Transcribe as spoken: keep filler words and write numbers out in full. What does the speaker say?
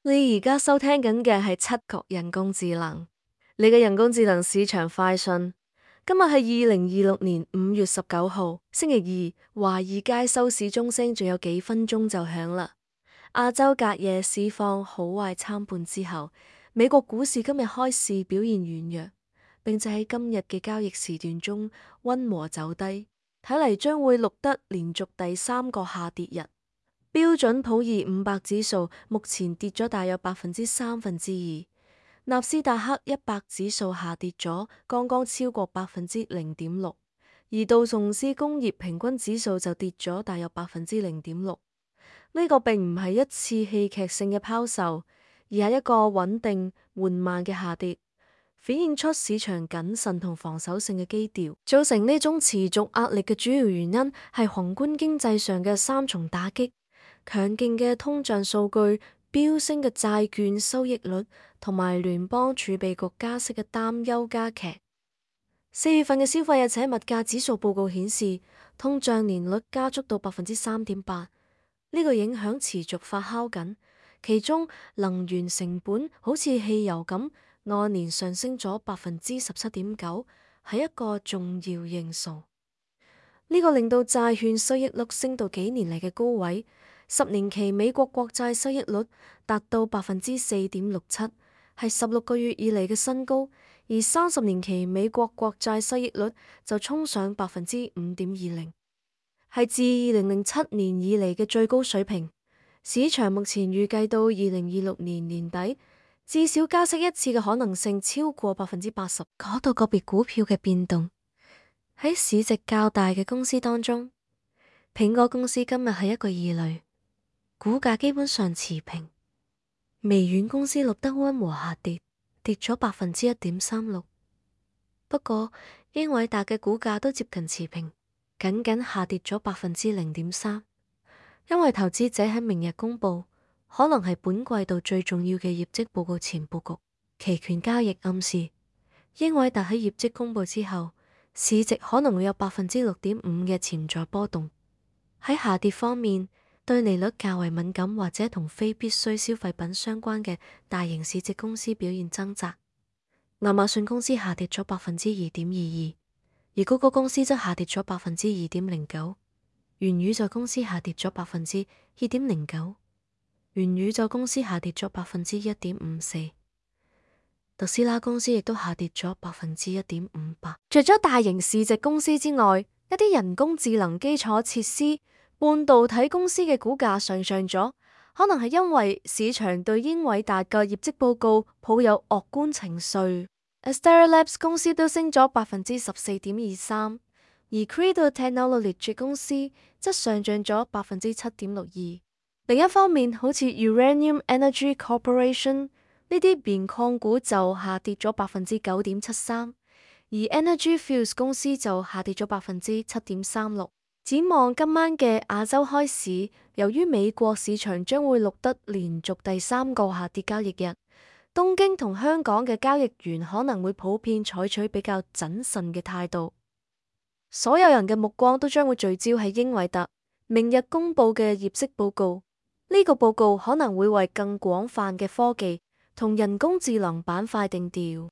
你而家收聽緊嘅係七國人工智能，你嘅人工智能市場快訊。今日係二零二六年五月十九號，星期二，華爾街收市鐘聲仲有幾分鐘就響啦。亞洲隔夜市況好壞參半之後，美國股市今日開市表現軟弱，並且喺今日嘅交易時段中溫和走低，睇嚟將會錄得連續第三個下跌日。標準普爾五百指數目前跌咗大約百分之三分之二，納斯達克一百指數下跌咗剛剛超過百分之零點六，而道瓊斯工業平均指數就跌咗大約百分之零點六。呢個並唔係一次戲劇性嘅拋售，而係一個穩定緩慢嘅下跌，反映出市場謹慎同防守性嘅基調。造成呢種持續壓力嘅主要原因係宏觀經濟上嘅三重打擊。強勁嘅通脹數據、飆升嘅債券收益率同埋聯邦儲備局加息嘅擔憂加劇。四月份嘅消費者且物價指數報告顯示，通脹年率加速到百分之三點八，呢個影響持續發酵緊。其中能源成本好似汽油咁，按年上升咗百分之十七點九，係一個重要因素。呢個令到債券收益率升到幾年嚟嘅高位。十年期美國國債收益率達到百分之四點六七，係十六個月以嚟嘅新高；而三十年期美國國債收益率就衝上百分之五點二零，係自二零零七年以嚟嘅最高水平。市場目前預計到二零二六年年底，至少加息一次嘅可能性超過百分之八十。講到個別股票嘅變動，喺市值較大嘅公司當中，蘋果公司今日係一個異類。股價基本上持平，微軟公司錄得溫和下跌，跌咗百分之一點三六。不過英偉達嘅股價都接近持平，僅僅下跌咗百分之零點三。因為投資者喺明日公布可能係本季度最重要嘅業績報告前布局，期權交易暗示英偉達喺業績公布之後，市值可能會有百分之六點五嘅潛在波動。喺下跌方面，對利率較為敏感或者同非必需消費品相關嘅大型市值公司表現掙扎。亞馬遜公司下跌咗百分之二點二二，而谷歌公司則下跌咗百分之二點零九。元宇宙公司下跌咗百分之二點零九，元宇宙公司下跌咗百分之一點五四，特斯拉公司亦都下跌咗百分之一點五八。除咗大型市值公司之外，一啲人工智能基礎設施、半導體公司嘅股價上漲咗，可能係因為市場對英偉達嘅業績報告抱有樂觀情緒。Astera Labs 公司都升咗百分之十四點二三，而 Credo Technology 公司則上漲咗百分之七點六二。另一方面，好似 Uranium Energy Corporation 呢啲棉礦股就下跌咗百分之九點七三，而 Energy Fuels 公司就下跌咗百分之七點三六。展望今晚嘅亞洲開市，由於美國市場將會錄得連續第三個下跌交易日，東京同香港嘅交易員可能會普遍採取比較謹慎嘅態度。所有人嘅目光都將會聚焦喺英偉達明日公布嘅業績報告，呢個報告可能會為更廣泛嘅科技同人工智能板塊定調。